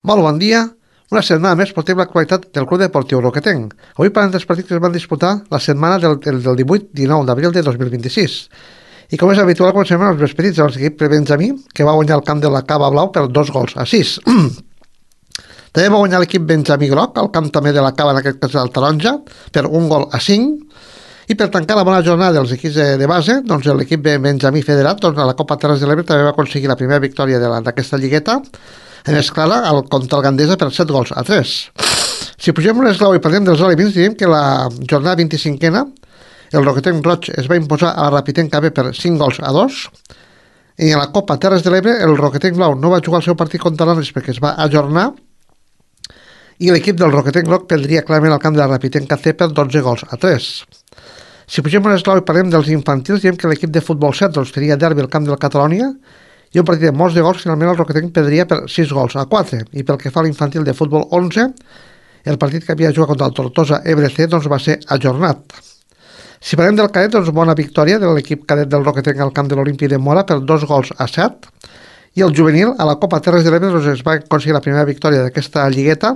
Molt bon dia. Una setmana més portem l'actualitat del Club Deportiu Roquetenc. Avui parlem dels partits que es van disputar la setmana del 18-19 d'abril de 2026. I com és habitual, comencem amb els més petits de l'equip Benjamí, que va guanyar el camp de la Cava Blau per 2-6. També va guanyar l'equip Benjamí Groc, el camp també de la Cava, en aquest cas del Taronja, per 1-5. I per tancar la bona jornada dels equips de base, doncs l'equip Benjamí Federat, doncs a la Copa Terres de l'Ebre també va aconseguir la primera victòria d'aquesta lligueta, en escala contra el Gandesa per 7-3. Si pugem un esglau i parlem dels aliments, diríem que la jornada 25a, el Roquetenc Roig es va imposar a la Rapitenca B per 5-2, i en la Copa Terres de l'Ebre el Roquetenc Blau no va jugar el seu partit contra l'Arles perquè es va ajornar, i l'equip del Roquetenc Groc perdria clarament el camp de la Rapitenca C per 12-3. Si pugem un esglau i parlem dels infantils, diem que l'equip de futbol 7 doncs, tenia derbi al camp del Catalònia, i un partit de molts de gols, finalment el Roquetenc perdria per 6-4. I pel que fa a l'infantil de futbol 11, el partit que havia jugat contra el Tortosa Ebre C doncs, va ser ajornat. Si parlem del cadet, doncs bona victòria de l'equip cadet del Roquetenc al camp de l'Olímpic de Mora per 2-7. I el juvenil, a la Copa Terres de l'Ebre, doncs, es va aconseguir la primera victòria d'aquesta lligueta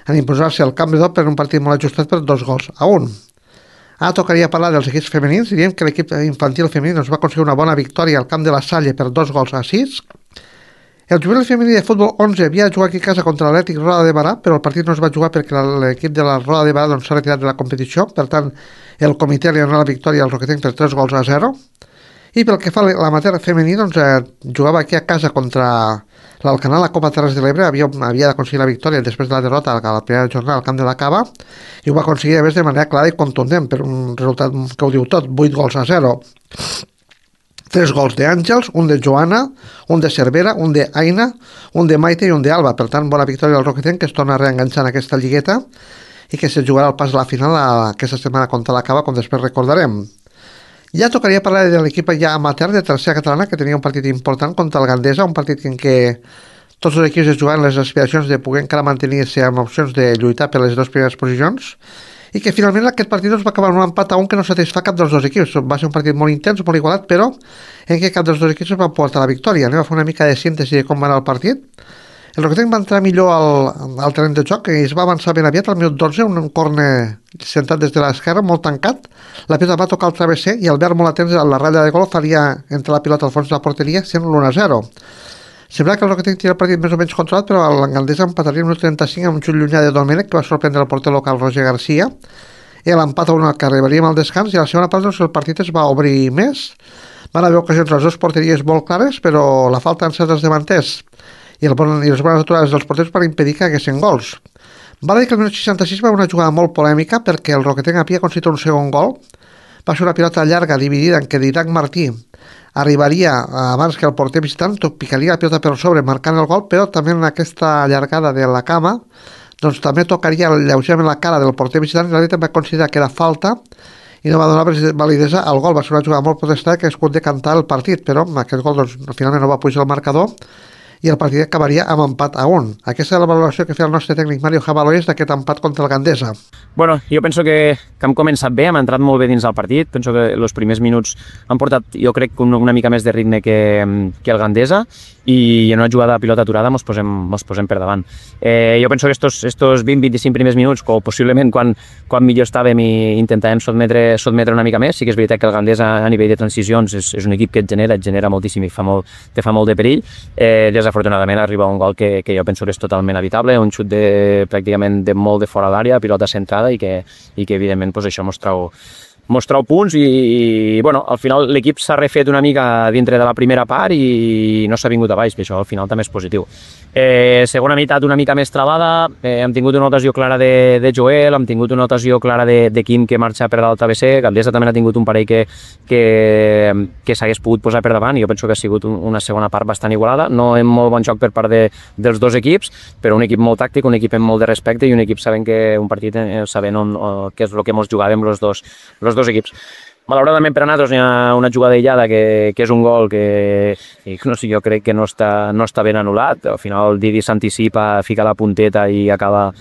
en imposar-se al camp de Dot per un partit molt ajustat per 2-1. Ara tocaria parlar dels equips femenins. Diríem que l'equip infantil femení va aconseguir una bona victòria al camp de la Salle per 2-6. El juvenil femení de futbol 11 havia jugat aquí a casa contra l'Atlètic Roda de Barà, però el partit no es va jugar perquè l'equip de la Roda de Barà s'ha retirat de la competició. Per tant, el comitè li ha donat la victòria al Roquetenc per 3-0. I pel que fa a l'amateur femení, jugava aquí a casa contra l'Alcanar, la Copa Terres de l'Ebre, havia d'aconseguir la victòria després de la derrota a la primera jornada al camp de la Cava, i ho va aconseguir a més de manera clara i contundent, per un resultat que ho diu tot, 8-0. 3 gols d'Àngels, un de Joana, un de Cervera, un d'Aina, un de Maite i un d'Alba. Per tant, bona victòria del Roquetenc, que es torna a reenganxar en aquesta lligueta i que se jugarà al pas a la final aquesta setmana contra la Cava, com després recordarem. Ja tocaria parlar de l'equip ja amateur de tercera catalana, que tenia un partit important contra el Gandesa, un partit en què tots els equips es jugaven les aspiracions de poder encara mantenir-se amb opcions de lluitar per les dues primeres posicions, i que finalment aquest partit va acabar amb un empat a un que no satisfà cap dels dos equips. Va ser un partit molt intens, molt igualat, però en què cap dels dos equips va portar la victòria. Anem a fer una mica de síntesi de com va anar el partit. El Roquetenc va entrar millor al terreny de joc, i es va avançar ben aviat al minut 12, un córner sentat des de l'esquerra, molt tancat. La pilota va tocar el travesser i Albert, molt atents a la ratlla de gol, faria entrar la pilota al fons de la porteria, sent l'1-0. Sembla que el Roquetenc tenia el partit més o menys controlat, però l'Angandesa empataria el minut 35 amb un xut llunyà de Domènech, que va sorprendre el porter local Roger Garcia, i l'empat a 1 que arribaríem al descans, i a la segona part el partit es va obrir més. Van haver ocasions les dues porteries molt clares, però la falta en certs davanters i les bones aturades dels porters per impedir que haguessin gols. Val a dir que el minut 66 va una jugada molt polèmica, perquè el Roquetenc havia aconseguit un segon gol. Va ser una pilota llarga dividida en què Didac Martí arribaria abans que el porter visitant, picaria la pilota per sobre marcant el gol, però també en aquesta allargada de la cama doncs també tocaria lleugerament la cara del porter visitant, i l'àrbitre va considerar que era falta i no va donar validesa al gol. Va ser una jugada molt protestada que es pot decantar el partit, però aquest gol finalment no va pujar el marcador i el partit acabaria amb empat a 1. Aquesta és la valoració que feia el nostre tècnic Mario Jabalois d'aquest empat contra el Gandesa. Bueno, jo penso que hem començat bé, hem entrat molt bé dins del partit. Penso que els primers minuts han portat, jo crec, una mica més de ritme que el Gandesa, i en una jugada de pilota aturada mos posem per davant. Jo penso que estos 20-25 primers minuts, o possiblement quan millor estàvem i intentàvem sotmetre una mica més, sí que és veritat que el Gandesa a nivell de transicions és un equip que et genera moltíssim i te fa molt de perill. Desafortunadament arriba un gol que jo penso que és totalment evitable, un xut pràcticament de molt de fora d'àrea, pilota centrada, i que evidentment això mos trau punts, i bueno, al final l'equip s'ha refet una mica dintre de la primera part i no s'ha vingut a baix, que això al final també és positiu. Segona meitat una mica més travada, hem tingut una ocasió clara de Joel, hem tingut una ocasió clara de Quim que marxa per dalt travesser. Gandesa també ha tingut un parell que s'hagués pogut posar per davant, i jo penso que ha sigut una segona part bastant igualada, no en molt bon joc per part dels dos equips, però un equip molt tàctic, un equip amb molt de respecte, i un equip sabent que un partit sabent què és el que ens jugàvem els dos equips. Malauradament per a nosaltres hi ha una jugada aïllada que és un gol que no sé, jo crec que no està ben anul·lat. Al final el Didi s'anticipa, fica la punteta i acaba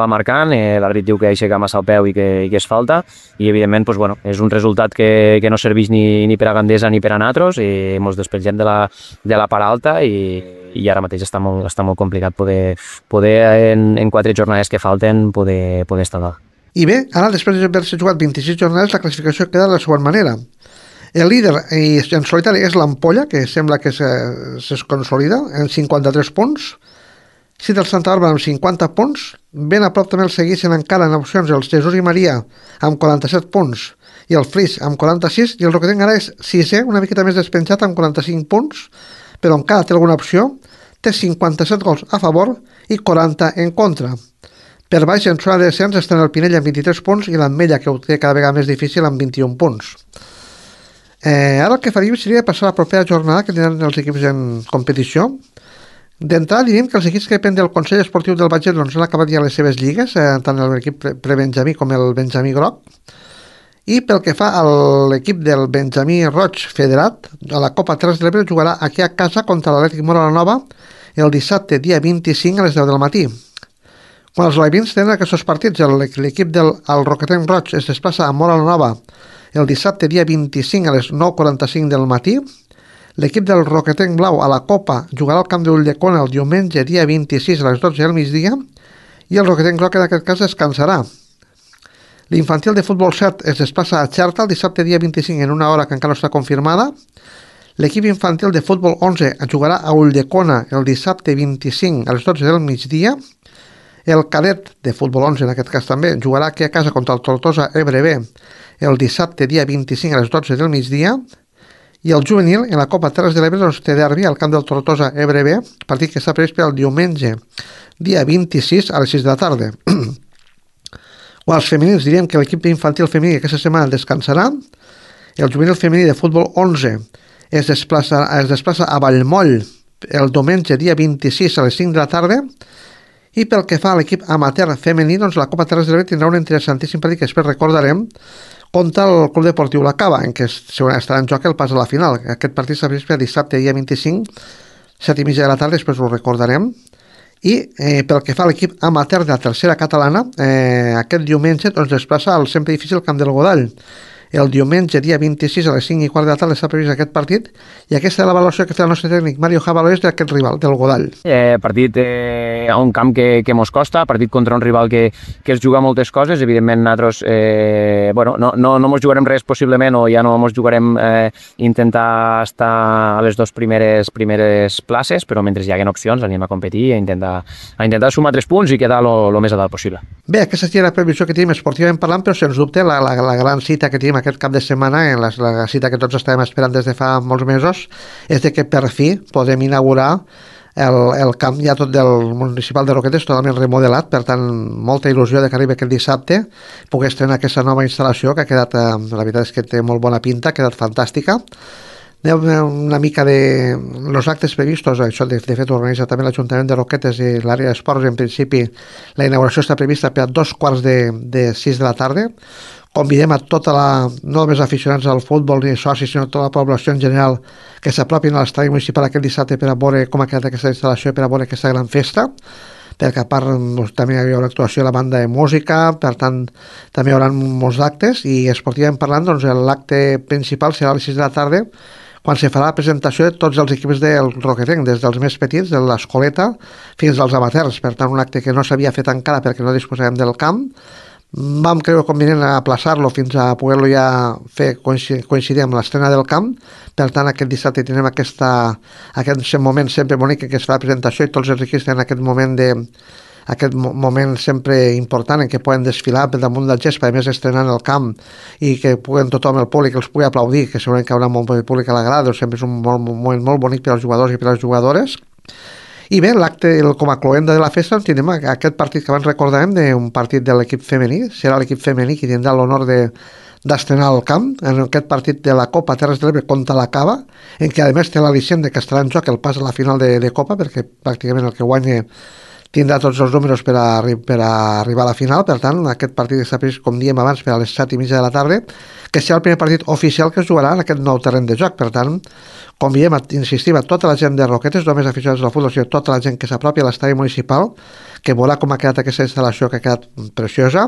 marcant. L'àrbit diu que aixeca massa el peu i que és falta. I evidentment doncs, bueno, és un resultat que no serveix ni per a Gandesa ni per a nosaltres i ens despengem de la part alta i ara mateix està molt complicat poder en 4 jornades que falten poder estar dalt. I bé, ara després d'haver-se jugat 26 jornades la classificació queda de la següent manera. El líder en solitari és l'Ampolla, que sembla que es consolida en 53 punts. Sí, del Santa Bàrbara amb 50 punts. Ben a prop també el segueixen encara en opcions els Jesús i Maria amb 47 punts i el Flix amb 46 i el Roquetenc ara és 6è, una miqueta més despenjat amb 45 punts, però encara té alguna opció. Té 57 gols a favor i 40 en contra. Per baix, en zona de descens, estan el Pinell amb 23 punts i l'Ametlla, que ho té cada vegada més difícil, amb 21 punts. Ara el que faríem seria passar a la propera jornada que tindran els equips en competició. D'entrada diríem que els equips que depèn del Consell Esportiu del Batget doncs, han acabat ja les seves lligues, tant l'equip prebenjamí com el Benjamí Groc. I pel que fa a l'equip del Benjamí Roig Federat, a la Copa Terres de l'Ebre jugarà aquí a casa contra l'Atlètic Móra la Nova el dissabte, dia 25 a les 10 del matí. Quan els alevins tenen aquests partits, l'equip del Roquetenc Roig es desplaça a Móra la Nova el dissabte, dia 25 a les 9:45 del matí. L'equip del Roquetenc Blau a la Copa jugarà al camp d'Ulldecona el diumenge, dia 26 a les 12 del migdia, i el Roquetenc Groc en aquest cas descansarà. L'infantil de futbol 7 es desplaça a Xerta el dissabte, dia 25 en una hora que encara no està confirmada. L'equip infantil de futbol 11 jugarà a Ulldecona el dissabte 25 a les 12 del migdia. El cadet de futbol 11, en aquest cas també, jugarà aquí a casa contra el Tortosa EBRB el dissabte, dia 25 a les 12 del migdia. I el juvenil, en la Copa Terres de l'Ebre, doncs, té derbi al camp del Tortosa EBRB, partit que està previst per el diumenge, dia 26 a les 6 de la tarda. O als femenins diríem que l'equip infantil femení aquesta setmana descansarà. El juvenil femení de futbol 11 es desplaça a Vallmoll el diumenge, dia 26 a les 5 de la tarda. I pel que fa a l'equip amateur femení, doncs la Copa Terres de l'Ebre tindrà un interessantíssim partit que després recordarem contra el Club Deportiu La Cava, en què estarà en joc el pas a la final. Aquest partit s'ha previst per dissabte, dia 25, 7:30 de la tarda, després ho recordarem. I pel que fa a l'equip amateur de la tercera catalana, aquest diumenge doncs, desplaça al sempre difícil Camp del Godall. El diumenge, dia 26 a les 5:15 de la tarda està previst aquest partit i aquesta és la valoració que fa el nostre tècnic Mario Jabaloés d'aquest rival, del Godall. Partit a un camp que mos costa, partit contra un rival que es juga moltes coses, evidentment nosaltres no mos jugarem res possiblement o ja no mos jugarem intentar estar a les dues primeres places, però mentre hi haguen opcions anem a competir i a intentar sumar 3 punts i quedar el més a dalt possible. Bé, aquesta seria la previsió que tenim esportivament parlant, però sens dubte la gran cita que tenim aquest cap de setmana, la cita que tots estàvem esperant des de fa molts mesos, és de que per fi podem inaugurar el camp ja tot del municipal de Roquetes totalment remodelat, per tant molta il·lusió de que arribi aquest dissabte poder estrenar aquesta nova instal·lació que ha quedat, la veritat és que té molt bona pinta, ha quedat fantàstica. Una mica de los actes previstos, això de fet organitza també l'Ajuntament de Roquetes i l'àrea d'esports. En principi la inauguració està prevista per a 2:45 de la tarda. Convidem a no només aficionats al futbol ni socis, sinó tota la població en general que s'apropin a l'estadi municipal aquest dissabte per a veure com ha quedat aquesta instal·lació, per a veure aquesta gran festa, perquè a part també hi haurà actuació a la banda de música, per tant també hi haurà molts actes i esportivament parlant doncs l'acte principal serà a les 6 de la tarda quan se farà la presentació de tots els equips del Roquetenc, des dels més petits, de l'escoleta, fins als amateurs. Per tant, un acte que no s'havia fet encara perquè no disposàvem del camp. Vam creure convenient aplaçar-lo fins a poder-lo ja fer coincidir amb l'estrena del camp. Per tant, aquest dissabte tindrem aquest moment sempre bonic que es fa la presentació i tots els equips tenen aquest moment sempre important en què poden desfilar per damunt del gespa, a més estrenant el camp i que tothom, el públic, els pugui aplaudir, que segurament que hi haurà molt públic a la grada, sempre és un moment molt bonic per als jugadors i per a les jugadores. I bé, l'acte, com a cloenda de la festa, tindrem aquest partit que abans recordàvem, d'un partit de l'equip femení. Serà l'equip femení qui tindrà l'honor d'estrenar el camp en aquest partit de la Copa Terres de l'Ebre contra la Cava, en què a més té l'al·licient de que estarà en joc el pas a la final de Copa, perquè pràcticament el que guanya tindrà tots els números per a arribar a la final. Per tant, aquest partit està previst, com diem abans, per a les 7:30 de la tarda, que serà el primer partit oficial que es jugarà en aquest nou terreny de joc. Per tant, com diem, insistim a tota la gent de Roquetes, no només aficionats del futbol, sinó tota la gent que s'apropi a l'estadi municipal, que veurà com ha quedat aquesta instal·lació, que ha quedat preciosa,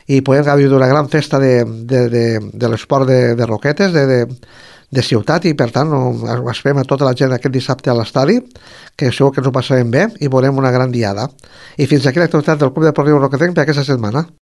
i podem gaudir d'una gran festa de l'esport de Roquetes, de ciutat, i per tant esperem a tota la gent aquest dissabte a l'estadi, que segur que ens ho passarem bé i veurem una gran diada. I fins aquí l'activitat del Club Deportiu Roquetenc per aquesta setmana.